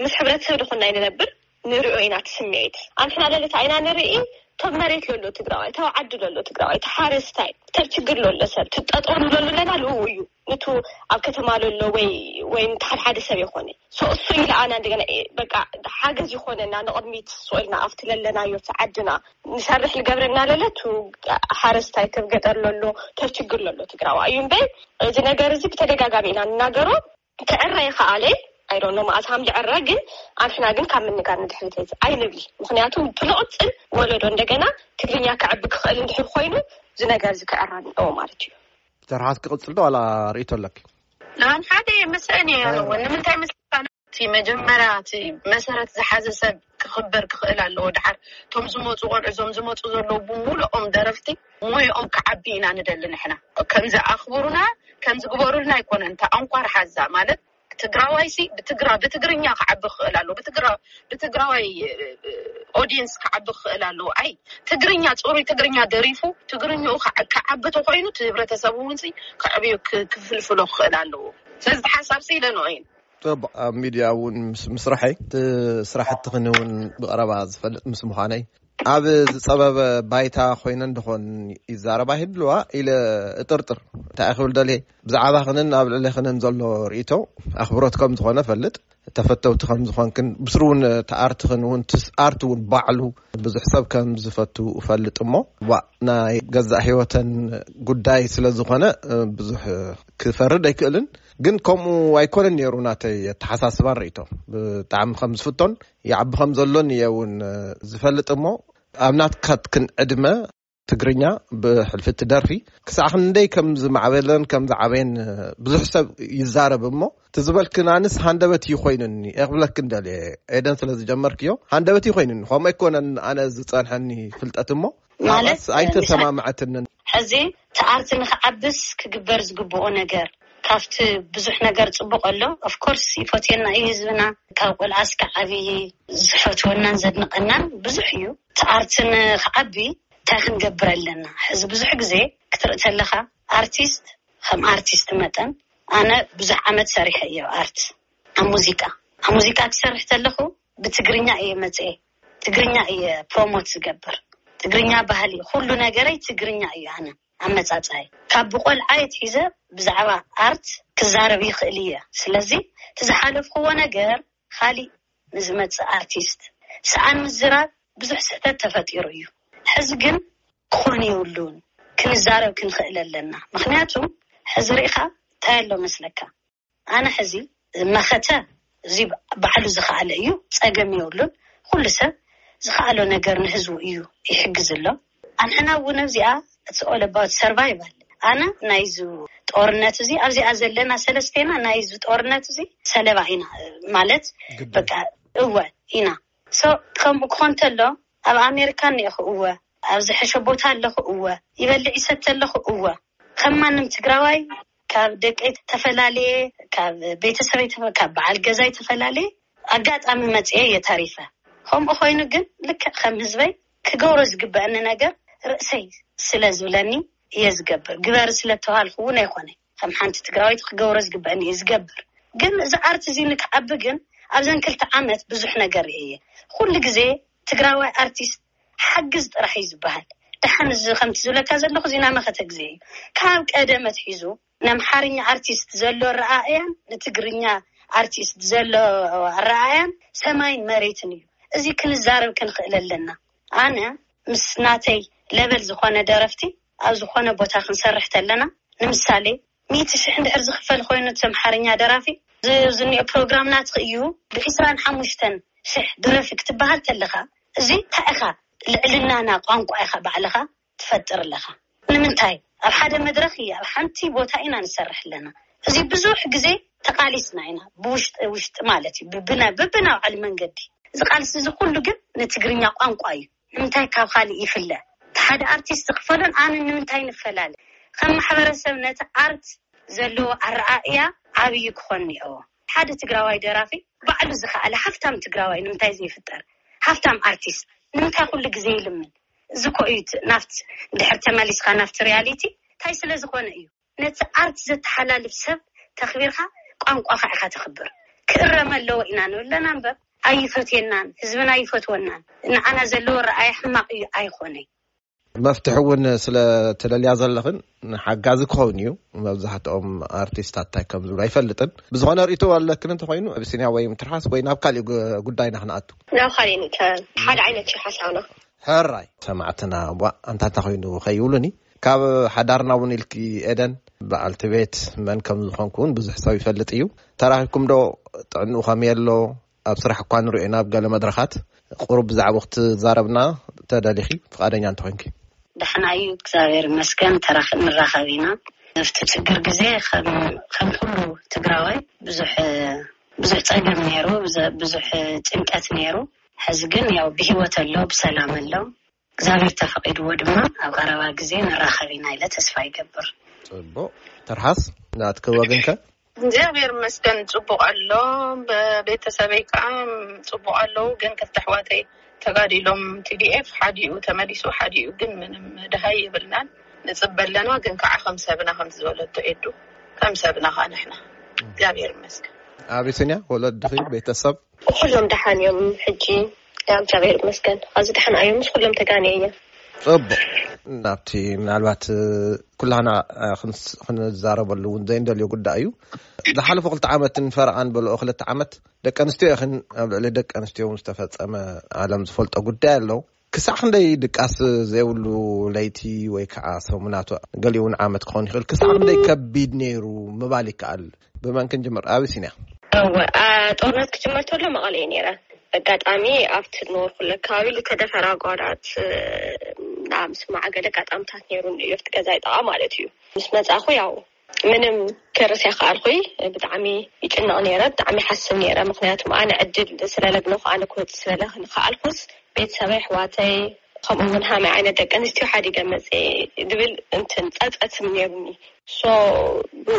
ምስ ሕብረተሰብ ድኹና ንነብር ንሪኦ ኢና እቲ ስምዒት። ኣንሕና ለለታ ኢና ንርኢ፣ ተብ መሬት ለሎ ትግራዋይ፣ ተብ ዓዲ ለሎ ትግራዋይ፣ ተሓረስታይ፣ ተብ ችግር ለሎ ሰብ፣ ትጠጠሉ ለሎ ለና ልኡ እዩ። ንቱ ኣብ ከተማ ለሎ ወይ ወይ ንተሓደ ሓደ ሰብ ይኾነ ሶ እሱ ኢለ ኣና እንደገና በቃ ሓገዝ ይኾነና ንቕድሚት ሶ ኢልና ኣብቲ ለለናዮ እቲ ዓድና ንሰርሕ ልገብረና ለለ ቱ ሓረስታይ ተብ ገጠር ለሎ ተብ ችግር ለሎ ትግራዋ እዩ እምበይ እዚ ነገር እዚ ብተደጋጋሚ ኢና ንናገሮ ክዕረ ይኸኣለ ኣይዶኖ መዓዝ ሃም ዝዕረ ግን ኣንሕና ግን ካብ ምንጋር ንድሕሪት ኣይንብል ምክንያቱ ብንቕፅል ወለዶ እንደገና ትግርኛ ክዕቢ ክኽእል እንድሕር ኮይኑ እዚ ነገር እዚ ክዕረ ኣለዎ ማለት እዩ ተርሓስ ክቕፅል ዶ ዋላ ርእቶ ኣለኪ? ንባን ሓደ የመስአን እየ ያለዎ ንምንታይ መስልካ እቲ መጀመርያ እቲ መሰረት ዝሓዘ ሰብ ክኽበር ክኽእል ኣለዎ ድሓር እቶም ዝመፁ ቆልዑ እዞም ዝመፁ ዘለዉ ብምሉኦም ደረፍቲ ሞይኦም ክዓቢ ኢና ንደሊ ንሕና ከምዚ ኣኽብሩና ከምዚ ግበሩልና ኣይኮነን እታ ኣንኳር ሓዛ ማለት ትግራዋይሲ ብትግራ ብትግርኛ ክዓቢ ክኽእል ኣለዎ። ብትግራ ብትግራዋይ ኦዲየንስ ክዓቢ ክኽእል ኣለዎ። ኣይ ትግርኛ፣ ፅሩይ ትግርኛ ደሪፉ ትግርኛኡ ክዓ- ክዓቢ ተኮይኑ እቲ ህብረተሰብ እውን ሲ ክዕብዩ ክ- ክፍልፍሎ ክኽእል ኣለዎ። ስለዚ እቲ ሓሳብ ሲ ኢለ ንኦ እየ። ኣብ ሚድያ እውን ምስ- ምስራሐይ እቲ ስራሕትኽን እውን ብቐረባ ዝፈልጥ ምስ ምዃነይ ኣብ ዝፀበበ ባይታ ኮይነ እንደኾን ይዛረባ ይህልዋ ኢለ እጥርጥር። እንታይ ክብል ደልየ፣ ብዛዕባኽንን ኣብ ልዕሌኽንን ዘሎ ርእይቶ ኣኽብሮት ከም ዝኾነ ፈልጥ፣ ተፈተውቲ ከም ዝኾንክን ብስሩ እውን እቲ ኣርትኽን እውን ትስ ኣርት እውን ባዕሉ ብዙሕ ሰብ ከም ዝፈቱ እፈልጥ እሞ ዋ ናይ ገዛእ ህይወተን ጉዳይ ስለ ዝኾነ ብዙሕ ክፈርድ ኣይክእልን። ግን ከምኡ ኣይኮነን ነይሩ ናተይ ኣተሓሳስባን ርእይቶ። ብጣዕሚ ከም ዝፍቶን ይዓቢ ከም ዘሎን እየ እውን ዝፈልጥ እሞ ኣብ ናትካትክን ዕድመ ትግርኛ ብሕልፊ እቲ ደርፊ ክሳዕ ክንደይ ከም ዝማዕበለን ከም ዝዓበየን ብዙሕ ሰብ ይዛረብ እሞ እቲ ዝበልክን ኣንስ ሃንደበት እዩ ኮይኑኒ እየ ክብለክን ደልየ። ኤደን ስለ ዝጀመርክዮ ሃንደበት እዩ ኮይኑኒ። ከምኡ ኣይኮነን ኣነ ዝጸንሐኒ ፍልጠት እሞ ማለት ናብኣስ ኣይተሰማምዐትንን። ሕዚ እቲ ኣርት ንክዓብስ ክግበር ዝግብኦ ነገር ካብቲ ብዙሕ ነገር ፅቡቅ ኣሎ። ኦፍኮርስ ይፈትየና እዩ ህዝብና፣ ካብ ቆልዓ እስከ ዓብዪ ዝፈትወናን ዘድንቀናን ብዙሕ እዩ። እቲ ኣርት ንክዓቢ እንታይ ክንገብር ኣለና? ሕዚ ብዙሕ ግዜ ክትርኢ ተለካ ኣርቲስት ከም ኣርቲስት መጠን ኣነ ብዙሕ ዓመት ሰሪሐ እየ ኣብ ኣርት ኣብ ሙዚቃ ኣብ ሙዚቃ ክሰርሕ ተለኹ ብትግርኛ እየ መፅኤ ትግርኛ እየ ፕሮሞት ዝገብር ትግርኛ ባህሊ ኩሉ ነገረይ ትግርኛ እዩ ኣነ ኣመፃፅኣይ ካብ ብቆልዓ የትሒዘ ብዛዕባ ኣርት ክዛረብ ይኽእል እየ ስለዚ እቲ ዝሓለፍክዎ ነገር ካሊእ ንዝመፅእ ኣርቲስት ሰኣን ምዝራብ ብዙሕ ስሕተት ተፈጢሩ እዩ ሕዚ ግን ክኾን የብሉን ክንዛረብ ክንኽእል ኣለና ምክንያቱ ሕዚ ርኢኻ እንታይ ኣሎ መስለካ ኣነ ሕዚ መኸተ እዚ ባዕሉ ዝኸኣለ እዩ ፀገም የብሉን ኩሉ ሰብ ዝኸኣሎ ነገር ንህዝቡ እዩ ይሕግዝ ኣሎ ኣንሕና እውን ኣብዚኣ it's all about survival ኣነ ናይዚ ጦርነት እዚ ኣብዚኣ ዘለና ሰለስቴና ናይዚ ጦርነት እዚ ሰለባ ኢና ማለት በቃ እወ ኢና so ከምኡ ክኾን ተሎ ኣብ ኣሜሪካ እኒአኹ እወ ኣብ ዝሐሸ ቦታ ኣለኹ እወ ይበልዕ ይሰተ ኣለኹ እወ ከም ማንም ትግራዋይ ካብ ደቀይ ተፈላለየ ካብ ቤተሰበይ ካብ በዓል ገዛይ ተፈላለየ ኣጋጣሚ መፅኤ እየ ተሪፈ ከምኡ ኮይኑ ግን ልክዕ ከም ህዝበይ ክገብሮ ዝግበአኒ ነገር ርእሰይ ስለ ዝብለኒ እየ ዝገብር ግበሪ ስለ ተባሃልኩ እውን ኣይኮነ ከም ሓንቲ ትግራዊት ክገብሮ ዝግበአኒ እየ ዝገብር ግን እዚ ኣርት እዚ ንክዓቢ ግን ኣብዘን ክልተ ዓመት ብዙሕ ነገር እየ ኩሉ ግዜ ትግራዋይ ኣርቲስት ሓግዝ ጥራሕ እዩ ዝበሃል ደሓን እዚ ከምቲ ዝብለካ ዘለኹ እዚ ናመኸተ ግዜ እዩ ካብ ቀደም ኣትሒዙ ንኣምሓርኛ ኣርቲስት ዘሎ ኣረኣእያን ንትግርኛ ኣርቲስት ዘሎ ኣረኣእያን ሰማይን መሬትን እዩ እዚ ክንዛረብ ክንኽእል ኣለና ኣነ ምስ ናተይ ለበል ዝኾነ ደረፍቲ ኣብ ዝኾነ ቦታ ክንሰርሕ ተለና ንምሳሌ ሚእቲ ሽሕ እንድሕር ዝኽፈል ኮይኑ እቲ ኣምሓርኛ ደራፊ ዝኒኦ ፕሮግራም ናትኺ እዩ ብዒስራን ሓሙሽተን ሽሕ ድረፊ ክትበሃል ተለኻ እዚ እንታይ ኢኻ ልዕልናና ቋንቋ ኢኻ ባዕልኻ ትፈጥር ኣለኻ ንምንታይ ኣብ ሓደ መድረኽ እየ ኣብ ሓንቲ ቦታ ኢና ንሰርሕ ኣለና እዚ ብዙሕ ግዜ ተቃሊስና ኢና ብውሽጢ ውሽጢ ማለት እዩ ብብና ብብና ባዕሉ መንገዲ እዚ ቃልሲ እዚ ኩሉ ግን ንትግርኛ ቋንቋ እዩ ንምንታይ ካብ ካልእ ይፍለ እቲ ሓደ ኣርቲስት ዝኽፈሎን ኣነ ንምንታይ ንፈላለ ከም ማሕበረሰብ ነቲ ኣርት ዘለዎ ኣረኣእያ ዓብዪ ክኾን እኒኦዎ ሓደ ትግራዋይ ደራፊ ባዕሉ ዝኸኣለ ሃፍታም ትግራዋይ ንምንታይ ዘይፍጠር ሃፍታም ኣርቲስት ንምንታይ ኩሉ ግዜ ይልምን እዚ ኮ እዩ ናፍት ድሕር ተመሊስካ ናፍቲ ሪያሊቲ እንታይ ስለ ዝኾነ እዩ ነቲ ኣርት ዘተሓላልፍ ሰብ ተኽቢርካ ቋንቋኻ ኢኻ ተኽብር ክእረም ኣለዎ ኢና ንብለና እምበር ኣይፈትየናን ህዝብና ኣይፈትወናን ንዓና ዘለዎ ረኣይ ሕማቕ እዩ ኣይኾነይ መፍትሒ እውን ስለ ትደልያ ዘለኽን ሓጋዚ ክኸውን እዩ መብዛሕትኦም ኣርቲስታት እንታይ ከም ዝብሉ ኣይፈልጥን ብዝኾነ ርእቶ ኣለክን እንተኮይኑ ኣብሲንያ ወይ ትርሓስ ወይ ናብ ካሊእ ጉዳይና ክንኣቱ ናብ ካሊእ ሓደ ዓይነት ሓሳብና ሕራይ ሰማዕትና ቧ ኣንታ እንታይ ኮይኑ ከይብሉኒ ካብ ሓዳርና እውን ኢልኪ ኤደን በዓልቲ ቤት መን ከም ዝኾንኩ እውን ብዙሕ ሰብ ይፈልጥ እዩ ተራኺብኩም ዶ ጥዕንኡ ከመይ ኣሎ ኣብ ስራሕ እኳ ንሪኦ ኢና ኣብ ገለ መድረኻት ቁሩብ ብዛዕባ ክትዛረብና ተደሊኺ ፍቓደኛ እንተኮይንኪ ደሕና እዩ እግዚኣብሔር ይመስገን ተራኽ ንራኸብ ኢና ኣብቲ ችግር ግዜ ከም ኩሉ ትግራዋይ ብዙሕ ብዙሕ ፀገም ነይሩ ብዙሕ ጭንቀት ነይሩ ሕዚ ግን ያው ብሂወት ኣሎ ብሰላም ኣሎ እግዚኣብሔር ተፈቂድዎ ድማ ኣብ ቀረባ ግዜ ንራኸብ ኢና ኢለ ተስፋ ይገብር ፅቡቅ ትርሓስ ናትኪ ወገንከ እግዚኣብሔር ይመስገን ጽቡቕ ኣሎ። ቤተሰበይ ከዓ ጽቡቕ ኣለዉ። ግን ክልተ ኣሕዋተይ ተጋዲሎም፣ ቲ ዲ ኤፍ ሓዲኡ ተመሊሱ፣ ሓዲኡ ግን ምንም ደሃይ የብልናን። ንጽበ ኣለና፣ ግን ከዓ ከም ሰብና፣ ከም ዝበለቶ ኤዱ፣ ከም ሰብና ከዓ ንሕና እግዚኣብሔር ይመስገን። ኣቢሲንያ፣ ወለድኺ፣ ቤተሰብ? ኩሎም ደሓን እዮም። ሕጂ እግዚኣብሔር ይመስገን፣ ኣዚ ደሓን እዮም። ምስ ኩሎም ተጋንየ እየ። ጽቡቕ። ናብቲ ምናልባት ኩላና ክንዛረበሉ እውን ዘይንደልዮ ጉዳይ እዩ። ዝሓለፉ ክልተ ዓመትን ፈረቓን በልኦ ክልተ ዓመት ደቂ ኣንስትዮ ኢኽን፣ ኣብ ልዕሊ ደቂ ኣንስትዮ እውን ዝተፈጸመ ዓለም ዝፈልጦ ጉዳይ ኣሎ። ክሳዕ ክንደይ ድቃስ ዘይብሉ ለይቲ ወይ ከዓ ሰሙናት፣ ገሊኡ እውን ዓመት ክኸውን ይኽእል፣ ክሳዕ ክንደይ ከቢድ ነይሩ ምባል ይከኣል? ብመን ክንጅምር? ኣቢሲንያ። እወ፣ ጦርነት ክጅመር ተሎ መቐለ እየ ነይረ። ኣጋጣሚ ኣብቲ ዝነበርኩሉ ኣከባቢ ዝተደፈራ ኣጓላት ናብ ምስማዕ ገለ ኣጋጣምታት ነይሩ፣ ኣብቲ ገዛ ይጠቓ ማለት እዩ። ምስ መጻኹ ያው ምንም ክርስ ኣይከኣልኩይ። ብጣዕሚ ይጭነቕ ነይረ፣ ብጣዕሚ ሓስብ ነይረ። ምክንያቱ ኣነ ዕድል ስለለግነኹ፣ ኣነ ክወፅእ ስለለኽኣልኩስ ቤተሰበይ፣ ኣሕዋተይ፣ ከምኡ እውን ሃመይ ዓይነት ደቂ ኣንስትዮ ሓዲገ መፅእ ድብል እንትን ፀፀት ነይሩኒ። ሶ ብኡ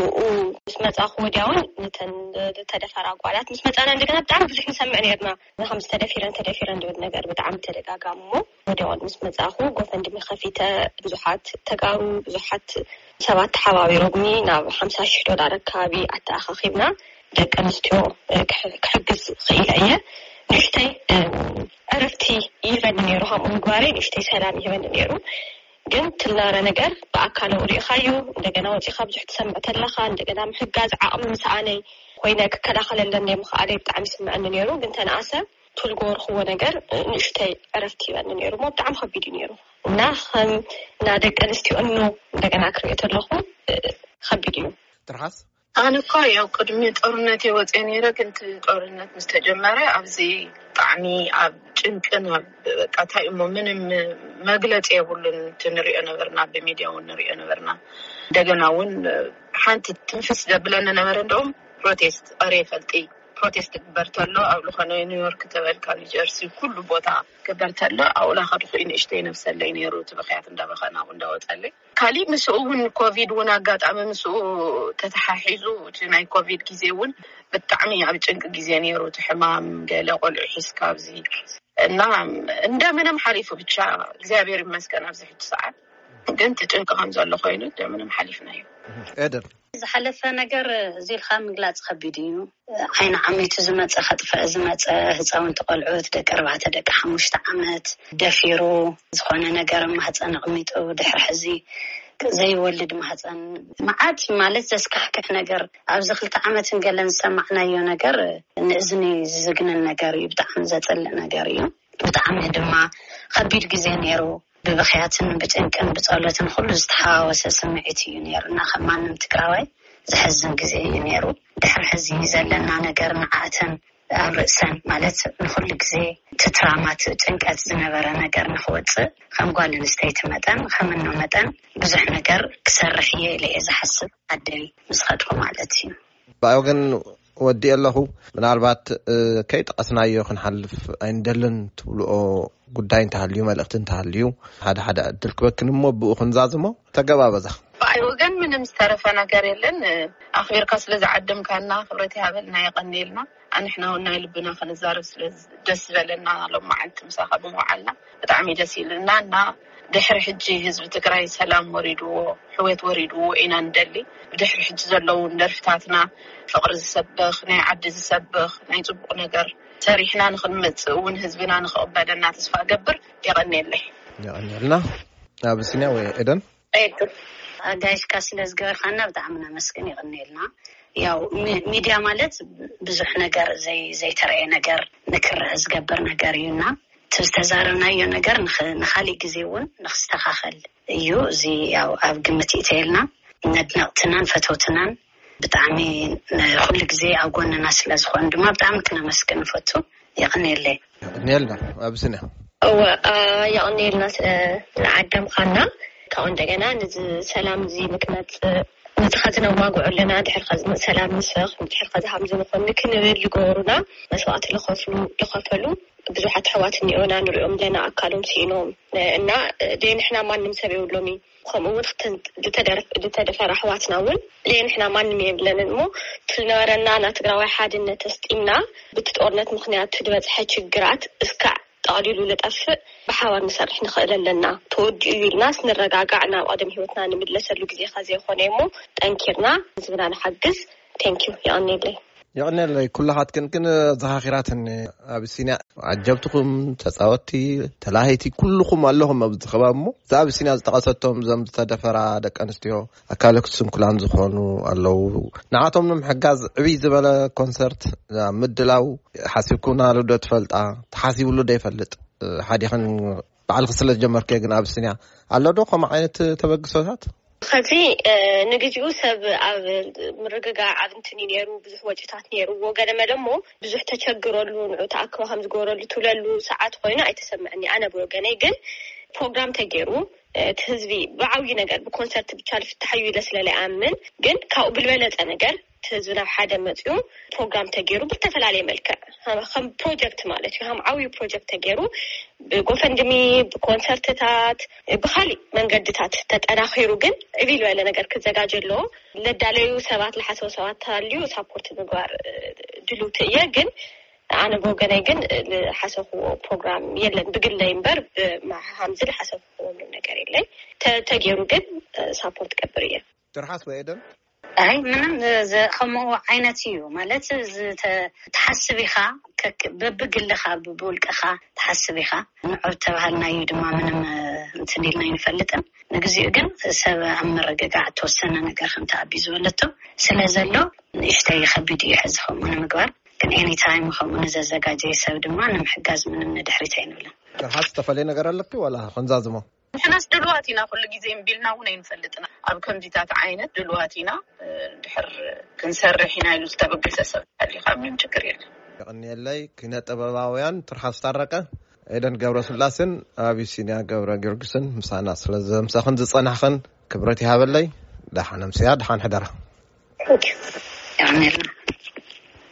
ምስ መፃኹ ወዲያውን ነተን ዝተደፈራ ጓላት ምስ መፃና እንደገና ብጣዕሚ ብዙሕ ንሰምዕ ነርና። ከም ዝተደፊረን ተደፊረን ድብል ነገር ብጣዕሚ ተደጋጋሚ። እሞ ወዲያውን ምስ መፃኹ ጎፈንድሚ ከፊተ፣ ብዙሓት ተጋሩ፣ ብዙሓት ሰባት ተሓባቢሮምኒ ናብ ሓምሳ ሽሕ ዶላር ኣከባቢ ኣተኣኻኺብና ደቂ ኣንስትዮ ክሕግዝ ክኢለ እየ። ንእሽተይ ዕረፍቲ ይህበኒ ነይሩ። ከምኡ ምግባረይ ንእሽተይ ሰላም ይህበኒ ነይሩ። ግን ትልናረ ነገር ብኣካል ሪኢኻዩ፣ እንደገና ወፂኻ ብዙሕ ትሰምዕ ተለኻ፣ እንደገና ምሕጋዝ ዓቕሚ ምስኣነይ ኮይነ ክከላኸለለን ምኽኣለይ ብጣዕሚ ይስምዐኒ ነይሩ። ግን ተነኣሰ ትልጎ ርኽቦ ነገር ንእሽተይ ዕረፍቲ ይበኒ ነይሩ። እሞ ብጣዕሚ ከቢድ እዩ ነይሩ። እና ከም እና ደቂ ኣንስትዮ እኖ እንደገና ክሪኦ ተለኹ ከቢድ እዩ። ትርሓስ? ኣነ እኮ ያው ቅድሚ ጦርነት የወፀ ነይረ፣ ግን እቲ ጦርነት ምስ ተጀመረ ኣብዚ ብጣዕሚ ኣብ ጭንቅን ኣብ በቃ እንታይ እሞ ምንም መግለፂ የብሉን። እቲ ንሪኦ ነበርና፣ ብሚድያ እውን ንሪኦ ነበርና። እንደገና እውን ሓንቲ ትንፍስ ዘብለኒ ነበረ። እንደውም ፕሮቴስት ሬ ፈልጢ ፕሮቴስት ግበር ተሎ ኣብ ዝኾነ ኒውዮርክ ተበልካ ኒጀርሲ ኩሉ ቦታ ግበር ተሎ ኣብኡ ላኸድኩ ንእሽተይ ነብሰለይ ነይሩ። እቲ ብኽያት እንዳበኸና እንዳወፀለይ ካሊእ ምስኡ እውን ኮቪድ እውን ኣጋጣሚ ምስኡ ተተሓሒዙ እቲ ናይ ኮቪድ ግዜ እውን ብጣዕሚ ኣብ ጭንቂ ግዜ ነይሩ። እቲ ሕማም ገለ ቆልዑ ሒዝካ ኣብዚ እና እንደምንም ሓሊፉ ብቻ እግዚኣብሔር ይመስገን ኣብዚ ሕጂ ሰዓት ግን እቲ ጭንቂ ከም ዘሎ ኮይኑ እንደምንም ሓሊፍናዮ። ኤደን ዝሓለፈ ነገር እዚ ኢልካ ምግላፅ ከቢድ እዩ። ዓይኒ ዓሚቱ ዝመፀ ከጥፈእ ዝመፀ ህፃውንቲ ቆልዑት ደቂ ኣርባዕተ ደቂ ሓሙሽተ ዓመት ደፊሩ ዝኾነ ነገር ማህፀን ኣቕሚጡ ድሕሪ ሕዚ ዘይወልድ ማህፀን መዓት ማለት ዘስካሕክሕ ነገር ኣብዚ ክልተ ዓመትን ገለን ዝሰማዕናዮ ነገር ንእዝኒ ዝዝግንን ነገር እዩ። ብጣዕሚ ዘፅልእ ነገር እዩ። ብጣዕሚ ድማ ከቢድ ግዜ ነይሩ። ብብኽያትን ብጭንቅን ብፀሎትን ኩሉ ዝተሓዋወሰ ስምዒት እዩ ነይሩ እና ከም ማንም ትግራዋይ ዘሕዝን ግዜ እዩ ነይሩ። ድሕሪ ሕዚ ዘለና ነገር ንዓእተን ኣብ ርእሰን ማለት ንኩሉ ግዜ ትትራማት ጭንቀት ዝነበረ ነገር ንክወፅእ ከም ጓል ኣንስተይቲ መጠን ከም እኖ መጠን ብዙሕ ነገር ክሰርሕ እየ ኢለ እየ ዝሓስብ ዓደይ ምስ ከድኩ ማለት እዩ። ብኣይ ወገን ወዲኤ ኣለኹ። ምናልባት ከይጠቐስናዮ ክንሓልፍ ኣይንደልን ትብልኦ ጉዳይ እንተሃልዩ፣ መልእኽቲ እንተሃልዩ ሓደ ሓደ ዕድል ክበክን እሞ ብኡ ክንዛዝሞ። ተገባበዛ። ብኣይ ወገን ምንም ዝተረፈ ነገር የለን። ኣኽቢርካ ስለ ዝዓደምካና ክብረት ይሃበልና፣ የቐንየልና። ኣንሕና እውን ናይ ልብና ክንዛረብ ስለ ደስ ዝበለና ሎም መዓልቲ ምሳኻ ብምውዓልና ብጣዕሚ ደስ ኢልና እና ድሕሪ ሕጂ ህዝቢ ትግራይ ሰላም ወሪድዎ፣ ሕውየት ወሪድዎ ኢና ንደሊ። ብድሕሪ ሕጂ ዘለዉ ደርፍታትና ፍቕሪ ዝሰብኽ፣ ናይ ዓዲ ዝሰብኽ፣ ናይ ፅቡቕ ነገር ሰሪሕና ንክንመፅእ እውን ህዝብና ንክቕበለና ተስፋ እገብር። የቐንየለይ። የቐንየልና። ኣቢሲንያ ወይ ኤደን? ኤዱ ኣጋይሽካ ስለ ዝገበርካና ብጣዕሚ ነመስግን። የቐንየልና። ያው ሚድያ ማለት ብዙሕ ነገር ዘይተረእየ ነገር ንክረእ ዝገብር ነገር እዩ እና እቲ ዝተዛረብናዮ ነገር ንካሊእ ግዜ እውን ንክስተካከል እዩ። እዚ ያው ኣብ ግምት ይእተየልና። ነድነቅትናን ፈተውትናን ብጣዕሚ ኩሉ ግዜ ኣብ ጎንና ስለ ዝኾኑ ድማ ብጣዕሚ ክነመስግን ንፈቱ። የቐንየለይ። የቐንየልና ኣብስንያ። እወ የቐንየልና ስለ ዝዓደምካና። ካብኡ እንደገና ነዚ ሰላም እዚ ንክመፅእ ነቲ ከዚ ነዋግዖ ኣለና፣ ድሕሪ ከዚ ሰላም ንስኽ፣ ድሕሪ ከዚ ሃምዚ ንኾን ንክንብል ዝገበሩና መስዋእቲ ዝኸፍሉ ዝኸፈሉ ብዙሓት ኣሕዋት እኒኦና ንሪኦም ኣለና ኣካሎም ስኢኖም። እና ደይ ንሕና ማንም ሰብ የብሎም እዩ። ከምኡ እውን ዝተደፈረ ኣሕዋትና እውን ደይ ንሕና ማንም የብለንን እሞ፣ እቲ ዝነበረና ናይ ትግራዋይ ሓድነት ኣስጢምና፣ ብቲ ጦርነት ምክንያት ዝበፅሐ ችግራት እስካዕ ጠቕሊሉ ልጠፍእ ብሓባር ንሰርሕ ንኽእል ኣለና። ተወዲኡ እዩ ኢልና ስንረጋጋዕ ናብ ቀደም ህይወትና ንምለሰሉ ግዜ ከ ዘይኮነ እሞ፣ ጠንኪርና ህዝብና ንሓግዝ። ቴንኪዩ። የቐኔለይ። የቐኔለይ። ኩላኻት ክንክን ዘኻኺራትኒ። ኣቢሲንያ ዓጀብትኹም፣ ተፃወቲ፣ ተላሃይቲ ኩልኹም ኣለኹም ኣብዚ ከባቢ እሞ፣ እዛ ኣቢሲንያ ዝጠቐሰቶም እዞም ዝተደፈራ ደቂ ኣንስትዮ፣ ኣካለ ስንኩላን ዝኾኑ ኣለዉ። ንዓቶም ንምሕጋዝ ዕብይ ዝበለ ኮንሰርት ምድላው ሓሲብኩምናሉ ዶ ትፈልጣ? ተሓሲብሉ ዶ ይፈልጥ? ሓዲኽን ባዕልኺ ስለ ዝጀመርክዮ ግን ኣቢሲንያ ኣሎ ዶ ከምኡ ዓይነት ተበግሶታት? ከዚ ንግዜኡ ሰብ ኣብ ምርግጋዕ ኣብ እንትን እዩ ነይሩ፣ ብዙሕ ወጪታት ነይርዎ። ገለ መለ እሞ ብዙሕ ተቸግረሉ፣ ንዑ ተኣክቦ ከም ዝገበረሉ ትብለሉ ሰዓት ኮይኑ ኣይተሰምዐኒ። ኣነ ብወገነይ ግን ፕሮግራም ተገይሩ፣ እቲ ህዝቢ ብዓብዪ ነገር ብኮንሰርት ብቻ ልፍታሕ እዩ ኢለ ስለ ለይኣምን፣ ግን ካብኡ ብልበለፀ ነገር እቲ ህዝቢ ናብ ሓደ መፅኡ ፕሮግራም ተገይሩ ብዝተፈላለየ መልክዕ ከም ፕሮጀክት ማለት እዩ፣ ከም ዓብዪ ፕሮጀክት ተገይሩ ብጎፈንድሚ፣ ብኮንሰርትታት፣ ብካሊእ መንገድታት ተጠናኺሩ ግን ዕብይ ዝበለ ነገር ክዘጋጀ ኣለዎ። ለዳለዩ ሰባት፣ ለሓሰቡ ሰባት ተሃልዩ ሳፖርት ምግባር ድልውቲ እየ። ግን ኣነ ብወገነይ ግን ዝሓሰብዎ ፕሮግራም የለን ብግለይ እምበር፣ ብማሃምዚ ዝሓሰብዎ ምንም ነገር የለይ። ተገይሩ ግን ሳፖርት ገብር እየ። ትርሓስ ወይ ኤደን? ኣይ ምንም ከምኡ ዓይነት እዩ ማለት፣ ትሓስብ ኢኻ፣ በብግልኻ ብውልቅኻ ትሓስብ ኢኻ። ንዑ ተባሃልናዩ ድማ ምንም እንትን ኢልና ኣይንፈልጥን። ንግዚኡ ግን ሰብ ኣብ ምርግጋዕ እተወሰነ ነገር ከምቲ ኣቢ ዝበለቶ ስለ ዘሎ ንእሽተይ ከቢድ እዩ ሕዚ ከምኡ ንምግባር። ግን ኤኒታይም ከምኡ ንዘዘጋጀየ ሰብ ድማ ንምሕጋዝ ምንም ንድሕሪት ኣይንብልን። ትርሓስ ዝተፈለየ ነገር ኣለኪ ዋላ ክንዛዝሞ? ንሕናስ ድልዋት ኢና፣ ኩሉ ግዜ እምቢ ኢልና እውን ኣይንፈልጥና። ኣብ ከምዚታት ዓይነት ድልዋት ኢና። ድሕር ክንሰርሕ ኢና ኢሉ ዝተበገሰ ሰብ ኣሊካ ምንም ችግር የለን። የቐንየለይ። ኪነ ጥበባውያን ትርሓስ ታረቀ፣ ኤደን ገብረስላሴን ኣቢሲንያ ገብረ ጊዮርጊስን ምሳና ስለ ዘምሳኽን ዝጸናሕኽን ክብረት ይሃበለይ። ደሓን ኣምስያ፣ ደሓን ሕደራ። የቐንየልና።